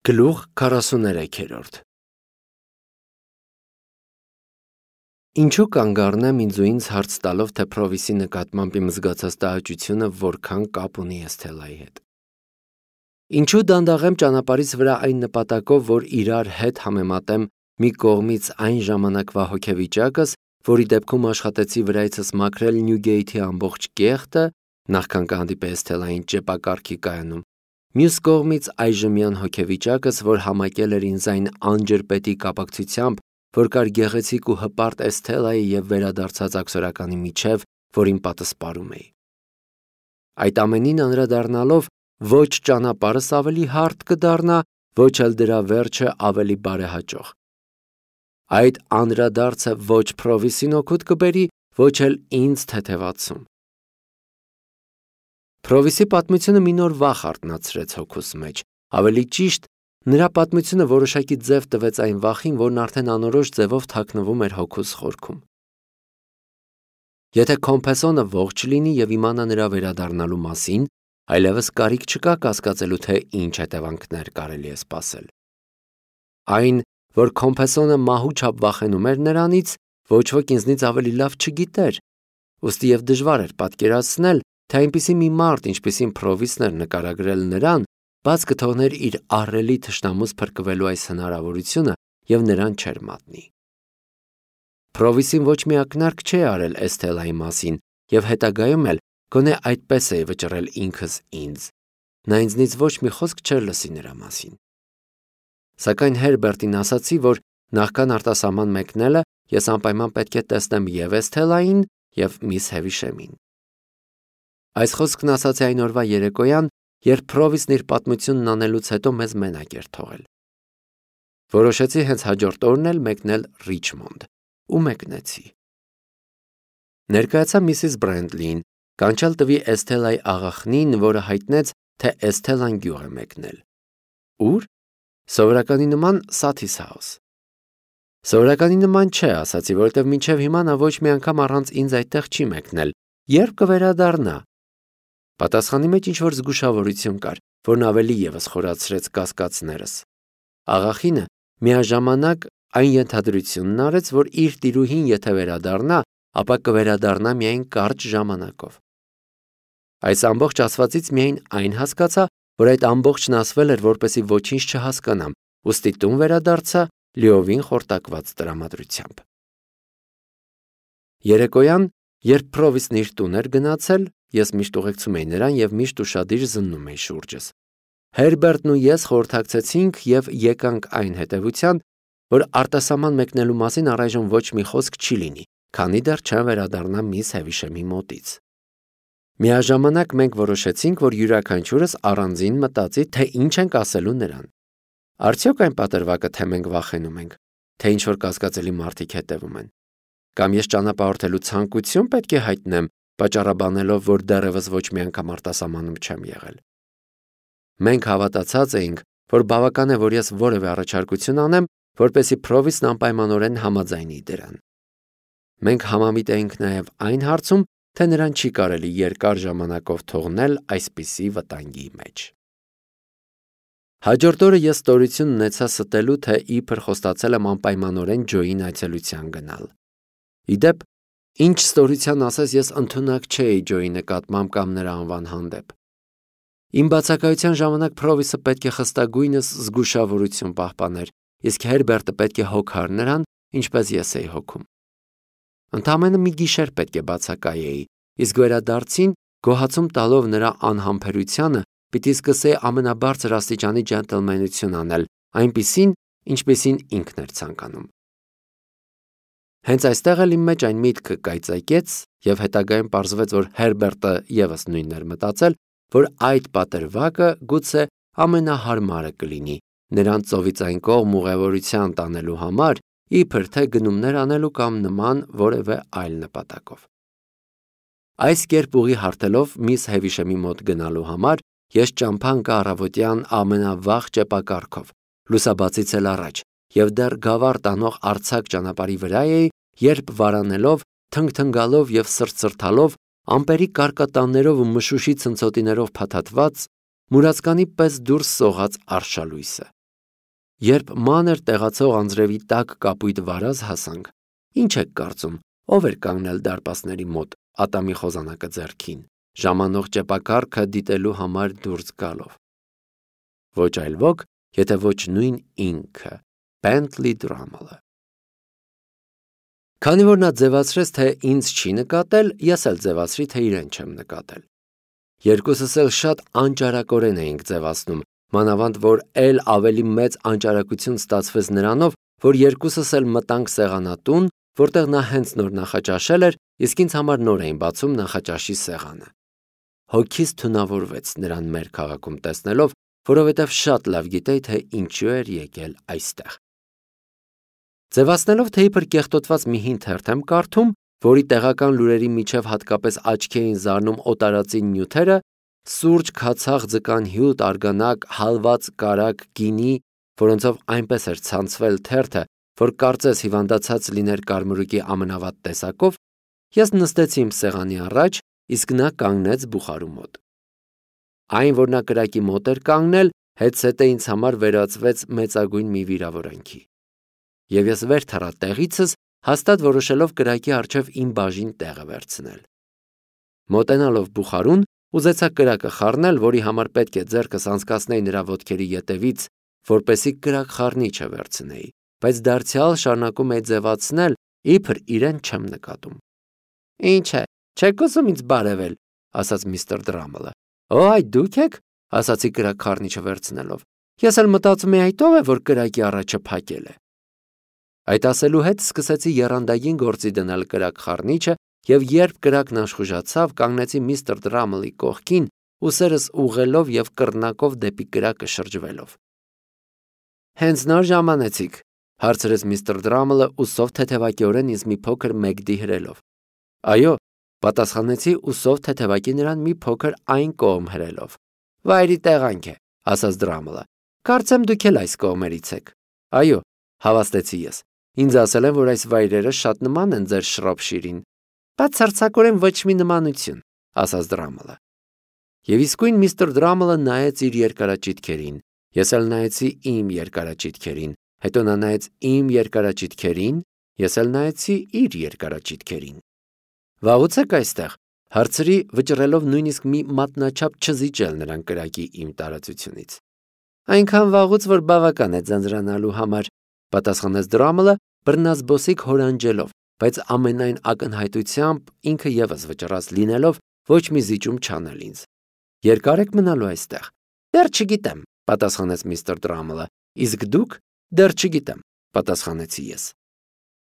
Գլուխ 43 Ինչու կանգ առնեմ ինձ ու ինձ հարց տալով, թե Փրովիսի նկատմամբ իմ զգացած տհաճությունը որքան կապ ունի Էսթելայի հետ։ Ինչու դանդաղեմ ճանապարհիս վրա այն նպատակով, որ իրար հետ համեմատեմ մի կողմից այն ժամանակվա հոգեվիճակս, որի դեպքում աշխատեցի վրայցս մաքրել Նյուգեյթի ամբողջ կեղտը, նախքան կհանդիպե Էսթելային ճեպակառքի կայանում, մյուս կողմից այժմյան հոգեվիճակս, որ համակել էր ինձ այն անջրպետի կապակցությամբ, որ կար գեղեցիկ ու հպարտ Էսթելայի և վերադարձած աքսորականի միջև, որին պատսպարում էի։ Այդ ամենին անդրադառնալով, ոչ ճանապարհս ավելի հարթ կդառնա, ոչ էլ դրա վերջը ավելի բարեհաճող։ Այդ անդրադարձը ոչ Փրովիսին օգուտ կբերի, ոչ էլ ինձ թեթևացում։ Փրովիսի պատմությունը մի նոր վախ արթնացրեց հոգուս մեջ, ավելի ճիշտ, նրա պատմությունը որոշակի ձև տվեց այն վախին, որն արդեն անորոշ ձևով թաքնվում էր հոգուս խորքում։ Եթե Քոմփեսոնը ողջ լինի և իմանա նրա վերադառնալու մասին, այլևս կարիք չկա կասկածելու, թե ինչ հետևանքներ կարելի է սպասել։ Այն, որ Քոմփեսոնը մահու չափ վախենում էր նրանից, ոչ ոք ինձնից ավելի լավ չգիտեր, ուստի և դժվար էր պատկերացնել, թե այնպիսի մի մարդ, ինչպիսին Փրովիսն էր նկարագրել նրան, բաց կթողներ իր ահռելի թշնամուց փրկվելու այս հնարավորությունը և նրան չէր մատնի։ Փրովիսին ոչ մի ակնարկ չէ արել Էսթելայի մասին և հետագայում էլ գոնե այդպես էի վճռել ինքս ինձ։ Նա ինձնից ոչ մի խոսք չէր լսի նրա մասին։ Սակայն Հերբերտին ասացի, որ նախքան արտասահման մեկնելը ես անպայման պետք է տեսնեմ և Էսթելային, և միս Հևիշեմին։ Այս խոսքն ասացի այն օրվա երեկոյան, երբ Փրովիսն իր պատմությունն անելուց հետո մեզ մենակ էր թողել։ Որոշեցի հենց հաջորդ օրն էլ մեկնել Ռիչմոնդ ու մեկնեցի։ Ներկայացա Միսիս Բրենտլիին, կանչալ տվի Էսթելայի աղախնին, որը հայտնեց, թե Էսթելան գյուղ է մեկնել։ Ուր? Սովորականի նման Սաթիս Հաուս։ Սովորականի նման չէ, ասացի, որովհետև մինչև հիմա նա ոչ մի անգամ առանց ինձ այդտեղ չի մեկնել։ Երբ կվերադառնա։ Պատասխանի մեջ ինչ-որ զգուշավորություն կար, որն ավելի ևս խորացրեց կասկածներս։ Աղախինը միաժամանակ այն ենթադրությունն արեց, որ իր տիրուհին եթե վերադառնա, ապա կվերադառնա միայն կարճ ժամանակով։ Այս ամբողջ ասվածից միայն այն հասկացա, որ այդ ամբողջն ասվել էր, որպեսզի ոչինչ չհասկանամ, ուստի տուն վերադարձա լիովին խորտակված տրամադրությամբ։ Երեկոյան, երբ Փրովիսն իր տուն էր գնացել, ես միշտ ուղեկցում էի նրան և միշտ ուշադիր զննում էի շուրջս։ Հերբերտն ու ես խորհրդակցեցինք և եկանք այն հետևության, որ արտասահման մեկնելու մասին առայժմ ոչ մի խոսք չի լինի, քանի դեռ չեմ վերադառնա միս Հևիշեմի մոտից։ Միաժամանակ մենք որոշեցինք, որ յուրաքանչյուրս առանձին մտածի, թե ինչ ենք ասելու նրան։ Արդյոք այն պատրվակը, թե մենք վախենում ենք, թե ինչ-որ կասկածելի մարդիկ հետևում են։ Կամ ես ճանապարհորդելու ցանկություն պետք է հայտնեմ, պատճառաբանելով, որ դեռևս ոչ մի անգամ արտասահմանում չեմ եղել։ Մենք հավատացած էինք, որ բավական է, որ ես որևէ առաջարկություն անեմ, որպեսզի Փրովիսն անպայմանորեն համաձայնի դրան։ Մենք համամիտ էինք նաև այն հարցում, թե նրան չի կարելի երկար ժամանակով թողնել այսպիսի վտանգի մեջ։ Հաջորդ օրը ես ստորություն ունեցա ստելու, թե իբր խոստացել եմ անպայմանորեն Ջոյին այցելության գնալ։ Ի դեպ, ինչ ստորության ասես, ես ընդունակ չէի Ջոյի նկատմամբ կամ նրա անվան հանդեպ։ Իմ բացակայության ժամանակ Փրովիսը պետք է խստագույնս զգուշավորություն պահպաներ, իսկ Հերբերտը պետք է հոգար նրան, ինչպես ես էի հոգում։ Ընդամենը մի գիշեր պետք է բացակայեի, իսկ վերադարձին, գոհացում տալով նրա անհամբերությանը, պիտի սկսեի ամենաբարձր աստիճանի ջենտլմենություն անել, այնպիսին, ինչպիսին ինքն էր ցանկանում։ Հենց այստեղ էլ իմ մեջ այն միտքը կայծակեց, և հետագայում պարզվեց, որ Հերբերտը ևս նույնն էր մտածել, որ այդ պատրվակը գուցե ամենահարմարը կլինի, նրան ծովից այն կողմ ուղևորության տանելու համար, իբր թե գնումներ անելու կամ նման որևէ այլ նպատակով։ Այս կերպ ուղի հարթելով միս Հևիշեմի մոտ գնալու համար, ես ճամփա ընկա առավոտյան ամենավաղ ճեպակառքով, լուսաբացից էլ առաջ, և դեռ գավառ տանող արձակ ճանապարհի վրա էի, երբ վարանելով, թնգթնգալով և սրտսրտալով, ամպերի կարկատաններով ու մշուշի ցնցոտիներով փաթաթված, մուրացկանի պես դուրս սողաց արշալույսը։ Երբ մանր տեղացող անձրևի տակ կապույտ վարազ հասանք, ինչ եք կարծում, ով էր կանգնել դարպասների մոտ, ատամի խոզանակը ձեռքին, ժամանող ճեպակառքը դիտելու համար դուրս գալով։ Ոչ այլ ոք, եթե ոչ նույն ինքը, Bentley Drummle-ը։ Քանի որ նա ձևացրեց, թե ինձ չի նկատել, ես էլ ձևացրի, թե իրեն չեմ նկատել։ Երկուսս էլ շատ անճարակորեն էինք ձևացնում, մանավանդ որ էլ ավելի մեծ անճարակություն ստացվեց նրանով, որ երկուսս էլ մտանք սեղանատուն, որտեղ նա հենց նոր նախաճաշել էր, իսկ ինձ համար նոր էին բացում նախաճաշի սեղանը։ Հոգիս թունավորվեց նրան մեր քաղաքում տեսնելով, որովհետև շատ լավ գիտեի, թե ինչու էր եկել այստեղ։ Ձևացնելով, թե իբր կեղտոտված մի հին թերթ եմ կարդում, որի տեղական լուրերի միջև հատկապես աչքի էին զարնում օտարածի նյութերը, սուրճ, քացախ, ձկան հյութ, արգանակ, հալված կարագ, գինի, որոնցով այնպես էր ցանցվել թերթը, որ կարծես հիվանդացած լիներ կարմրուկի ամենավատ տեսակով, ես նստեցի իմ սեղանի առաջ, իսկ նա կանգնեց բուխարու մոտ։ Այն, որ նա կրակի մոտ էր կանգնել, հետսետը ինձ համար վերածվեց մեծագույն մի վիրավորանքի։ Եվ ես վեր թռա տեղիցս, հաստատ որոշելով կրակի առջև իմ բաժին տեղը վերցնել։ Մոտենալով բուխարուն, ուզեցա կրակը խառնել, որի համար պետք է ձեռքս անցկացնեի նրա ոտքերի ետևից, որպեսզի կրակ խառնիչը վերցնեի, բայց դարձյալ շարունակում էի ձևացնել, իբր իրեն չեմ նկատում։ Ինչ է, չեք ուզում ինձ բարևել, ասաց միստր Դրամլը։ Օ, այ դուք եք, ասացի կրակ խառնիչը վերցնելով։ Ես էլ մտածում էի այդ ով է, որ կրակի առաջը փակել է։ Այդ ասելու հետ սկսեցի եռանդային գործի դնել կրակ խառնիչը, եւ երբ կրակն աշխուժացավ, կանգնեցի միստր Դրամլի կողքին, ուսերս ուղղելով եւ կռնակով դեպի կրակը շրջվելով։ Հենց նոր ժամանեցիք, հարցրեց միստր Դրամլը ուսով թեթևակիորեն ինձ մի փոքր մեկդի հրելով։ Այո, պատասխանեցի ուսով թեթևակի նրան մի փոքր այն կողմ հրելով։ Վայրի տեղանք է, ասաց Դրամլը։ Կարծեմ դուք էլ այս կողմերից եք։ Այո, հավաստեցի ես։ Ինձ ասել են, որ այս վայրերը շատ նման են ձեր Շրոփշիրին։ Բացարձակորեն ոչ մի նմանություն, ասաց Դրամլը։ Եվ իսկույն միստր Դրամլը նայեց իր երկարաճիտքերին, ես էլ նայեցի իմ երկարաճիտքերին, հետո նա նայեց իմ երկարաճիտքերին, ես էլ նայեցի իր երկարաճիտքերին։ Վաղուց եք այստեղ, հարցրի, վճռելով նույնիսկ մի մատնաչափ չզիջել նրան կրակի իմ տարածությունից։ Այնքան վաղուց, որ բավական է ձանձրանալու համար, պատասխանեց Դրամլը, բռնազբոսիկ հորանջելով, բայց ամենայն ակնհայտությամբ ինքը ևս վճռած լինելով ոչ մի զիջում չանել ինձ։ Երկար եք մնալու այստեղ։ Դեռ չգիտեմ, պատասխանեց միստր Դրամլը։ Իսկ դուք? Դեռ չգիտեմ, պատասխանեցի ես։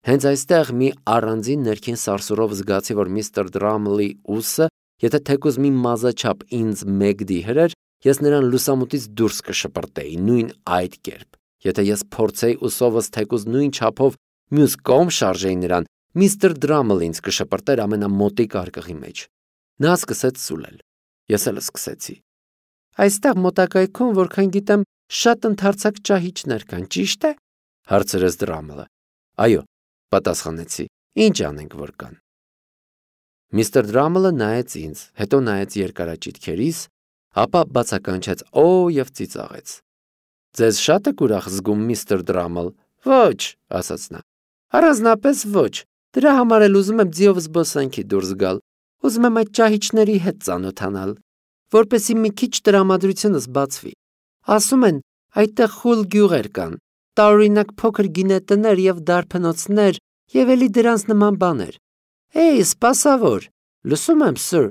Հենց այստեղ մի առանձին ներքին սարսուռով զգացի, որ միստր Դրամլի ուսը, եթե թեկուզ մի մազաչափ ինձ մեկդի հրեր, ես նրան լուսամուտից դուրս կշպրտեի նույն այդ կերպ։ Եթե ես փորձեի ուսովս թեկուզ նույն չափով մյուս կողմ շարժեի նրան, միստր Դրամլը ինձ կշպրտեր ամենամոտիկ արկղի մեջ։ Նա սկսեց սուլել։ Ես էլ սկսեցի։ Այստեղ մոտակայքում, որքան գիտեմ, շատ ընդարձակ ճահիճներ կան, ճիշտ է, հարցրեց Դրամլը։ Այո, պատասխանեցի։ Ինչ անենք, որ կան։ Միստր Դրամլը նայեց ինձ, հետո նայեց երկարաճիտքերիս, ապա բացականչեց օ եւ ծիծաղեց։ Ձեզ շատ եք ուրախ զգում, միստր Դրամլ։ Ոչ, ասաց նա։ Առանձնապես ոչ։ Դրա համար էլ ուզում եմ ձիով զբոսանքի դուրս գալ։ Ուզում եմ այդ ճահիճների հետ ծանոթանալ, որպեսզի մի քիչ տրամադրությունս բացվի։ Ասում են, այդտեղ խուլ գյուղեր կան, տարօրինակ փոքր գինետներ եւ դարբնոցներ եւ էլի դրանց նման բաներ։ Էй, սպասավոր, լսում եմ, սըր,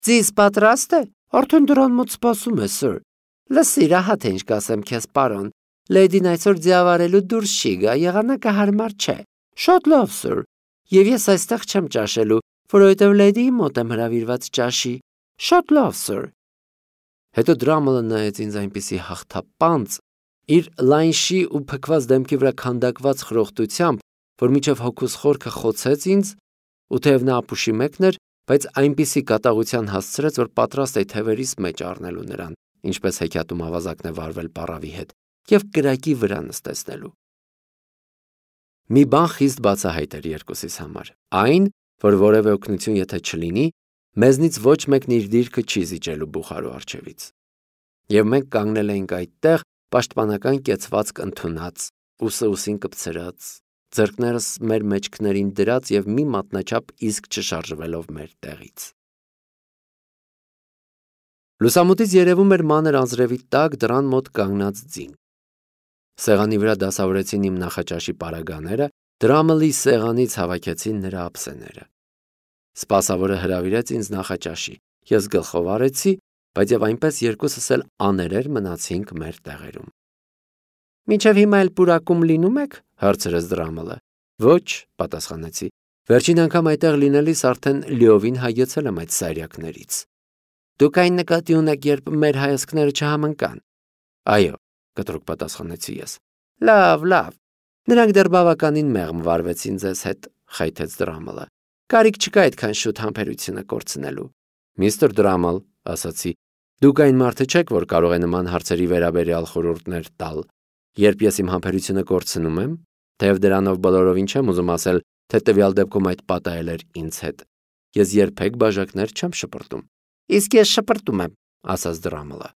ձիզ պատրաստ է։ Արդեն դրան մոտ սպասում է, սըր։ Լսիր, ահա թե ինչ կասեմ քեզ, պարոն։ Լեդին այսօր ձիավարելու դուրս չի գա, եղանակը հարմար չէ։ Շատ լավ, սըր։ Եվ ես այստեղ չեմ ճաշելու, որովհետև լեդիի մոտ եմ հրավիրված ճաշի։ Շատ լավ, սըր։ Հետո Դրամլը նայեց ինձ այնպիսի հաղթապանծ, իր լայնշի ու փքված դեմքի վրա քանդակված խրոխտությամբ, որ միջև հոգուս խորքը խոցեց ինձ, ու թեև նա ապուշի մեկն էր, բայց այնպիսի կատաղության հասցրեց, որ պատրաստ էի թևերիս մեջ առնելու նրան, ինչպես հեքիաթում ավազակն է վարվել պառավի հետ, և կրակի վրա նստեցնելու։ Մի բան խիստ բացահայտ էր երկուսիս համար, այն, որ որևէ օգնություն եթե չլինի, մեզնից ոչ մեկն իր դիրքը չի զիջելու բուխարու առջևից։ Եվ մենք կանգնել էինք այդտեղ, պաշտպանական կեցվածք ընդունած, ուսը ուսին կպցրած, ձեռքներս մեր մեջքներին դրած եւ մի մատնաչափ իսկ չշարժվելով մեր տեղից։ Լուսամուտից երևում էր մանր անձրևի տակ դռան մոտ կանգնած ձին։ Սեղանի վրա դասավորեցին իմ նախաճաշի պարագաները, դրամը լի սեղանից հավաքեցին նրա ափսեները։ Սպասավորը հրավիրեց ինձ նախաճաշի, ես գլխով արեցի, բայց եւ այնպես երկուսս էլ աներեր մնացինք մեր տեղերում։ Մինչև հիմա էլ պուրակում լինում եք, հարցրեց դրամը։ Ոչ, պատասխանեցի։ Վերջին անգամ այդտեղ լինելիս արդեն լիովին հայեցել եմ այդ սայրակներից։ Դուք այն նկատի ունեք, երբ մեր հայացքները չհամընկան։ Այո, կտրուկ պատասխանեցի ես։ Լավ։ Նրանք դեռ բավականին մեղմ վարվեցին ձեզ հետ, խայթեց դրամը։ Կարիք չկա այդքան շուտ համբերությունը կորցնելու։ Միստր Դրամալ, ասացի, դուք այն մարդը չեք, որ կարող է նման հարցերի վերաբերյալ խորհուրդներ տալ։ Երբ ես իմ համբերությունը կորցնում եմ, թեև դրանով բոլորովին չեմ ուզում ասել, թե տվյալ դեպքում այդ պատահել էր ինձ հետ, ես երբեք բաժակներ չեմ շպրտում։ Իսկ ես շպրտում եմ, ասաց դրամը։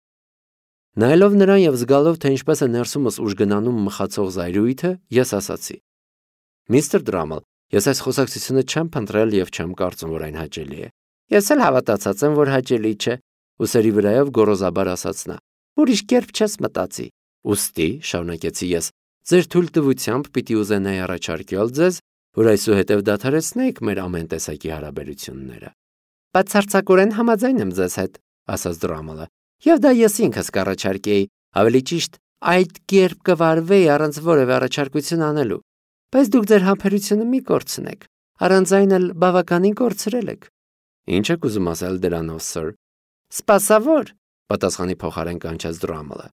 Նայելով նրան եւ զգալով, թե ինչպես է ներսումս ուժգնանում մխացող զայրույթը, ես ասացի. Միստր Դրամալ, ես այս խոսակցությունը չեմ փնտրել եւ չեմ կարծում, որ այն հաճելի է։ Ես էլ հավատացած եմ, որ հաճելի չէ, ուսերի վրայով գոռոզաբար ասաց նա։ Ուրիշ կերպ չես մտածի։ Ուստի, շարունակեցի ես, ձեր թույլտվությամբ պիտի ուզենայի առաջարկել ձեզ, որ այսուհետև դադարեցնեք մեր ամեն տեսակի հարաբերությունները։ Բացարձակորեն համաձայն եմ ձեզ հետ, ասաց դրամը, եւ դա ես ինքս կառաջարկեի, ավելի ճիշտ, այդ կերպ կվարվեի առանց որևէ առաջարկություն անելու։ Բայց դուք ձեր համբերությունը մի կորցնեք, առանց այն էլ բավականին կորցրել եք։ Ինչ եք ուզում ասել դրանով, սըր։ Սպասավոր, պատասխանի փոխարեն կանչեց դրամը։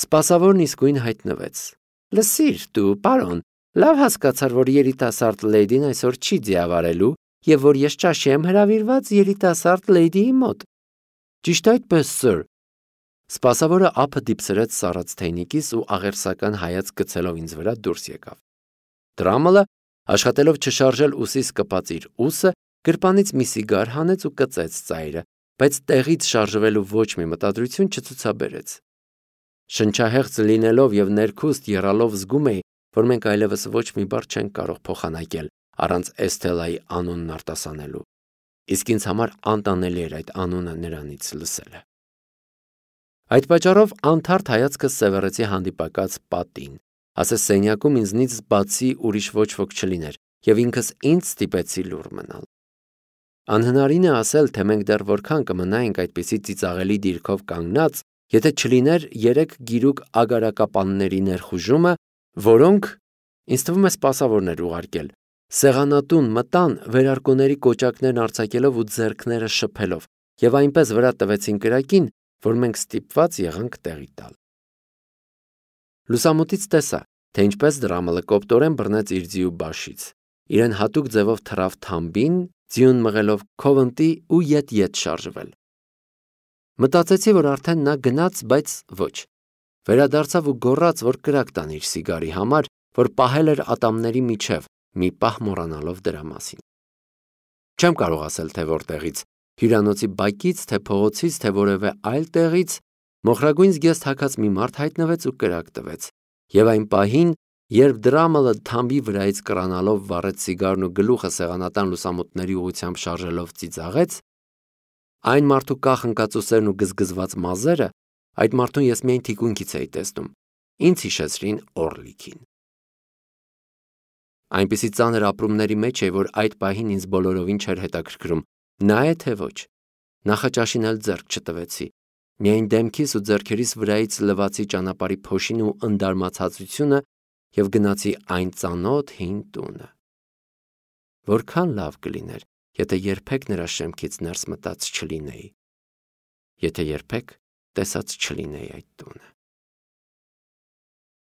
Սպասավորն իսկույն հայտնվեց։ Լսիր, դու, պարոն, լավ հասկացար, որ երիտասարդ լեյդին այսօր չի ձիավարելու եւ որ ես ճաշի եմ հրավիրված երիտասարդ լեյդիի մոտ։ Ճիշտ այդպես, սըր։ Սպասավորը ափը դիպսրեց սառած թեյնիկից ու աղերսական հայացք գցելով ինձ վրա դուրս եկավ։ Դրամը, աշխատելով չշարժել ուսից կպած իր ուսը, գրպանից մի սիգար հանեց ու կծեց ծայրը, բայց տեղից շարժվելու ոչ մի մտադրություն չցուցաբերեց։ Շնչահեղձ լինելով եւ ներքուստ եռալով զգում էի, որ մենք այլևս ոչ մի բառ չենք կարող փոխանակել առանց Էսթելայի անունն արտասանելու։ Իսկ ինձ համար անտանելի էր այդ անունը նրանից լսելը։ Այդ պատճառով անթարթ հայացքս սևեռեցի հանդիպակաց պատին, ասես սենյակում ինձնից բացի ուրիշ ոչ ոք չլիներ, եւ ինքս ինձ ստիպեցի լուռ մնալ։ Անհնարին է ասել, թե մենք դեռ որքան կմնայինք այդպիսի ծիծաղելի դիրքով կանգնած, եթե չլիներ երեք գիրուկ ագարակապանների ներխուժումը, որոնք, ինձ թվում է, սպասավորներ ուղարկել, սեղանատուն մտան վերարկուների կոճակներն արձակելով ու ձեռքները շփելով, եւ այնպես վրա տվեցին կրակին, որ մենք ստիպված եղանք տեղի տալ։ Լուսամուտից տեսա, թե ինչպես դրամը կոպտորեն բռնեց իր ձիու բաշից, իրեն հատուկ ձևով թռավ թամբին, ձիուն մղելով քովընտի ու ետ շարժվել։ Մտածեցի, որ արդեն նա գնաց, բայց ոչ։ Վերադարձավ ու գոռաց, որ կրակ տան իր սիգարի համար, որ պահել էր ատամների միջև, մի պահ մոռանալով դրա մասին։ Չեմ կարող ասել, թե որտեղից, հյուրանոցի բակից, թե փողոցից, թե որևէ այլ տեղից, մոխրագույն զգեստ հագած մի մարդ հայտնվեց ու կրակ տվեց, եւ այն պահին, երբ դրամը թամբի վրայից կրանալով վառեց սիգարն ու գլուխը սեղանատան լուսամուտների ուղությամբ շարժելով ծիծաղեց, այն մարդու կախնկածուսերն ու գզգզված մազերը, այդ մարդուն ես միայն թիկունքից էի տեսնում, ինձ հիշեցրին Օրլիքին։ Այնպիսի ծանր ապրումների մեջ է, որ այդ պահին ինձ բոլորովին չէր հետաքրքրում, նա է թե ոչ։ Նախաճաշին էլ ձեռք չտվեցի, միայն դեմքիս ու ձեռքերիս վրայից լվացի ճանապարհի փոշին ու ընդարմացածությունը եւ գնացի այն ծանոթ հին տունը։ Որքան լավ կլիներ, եթե երբեք նրա շեմքից ներս մտած չլինեի, եթե երբեք տեսած չլինեի այդ տունը։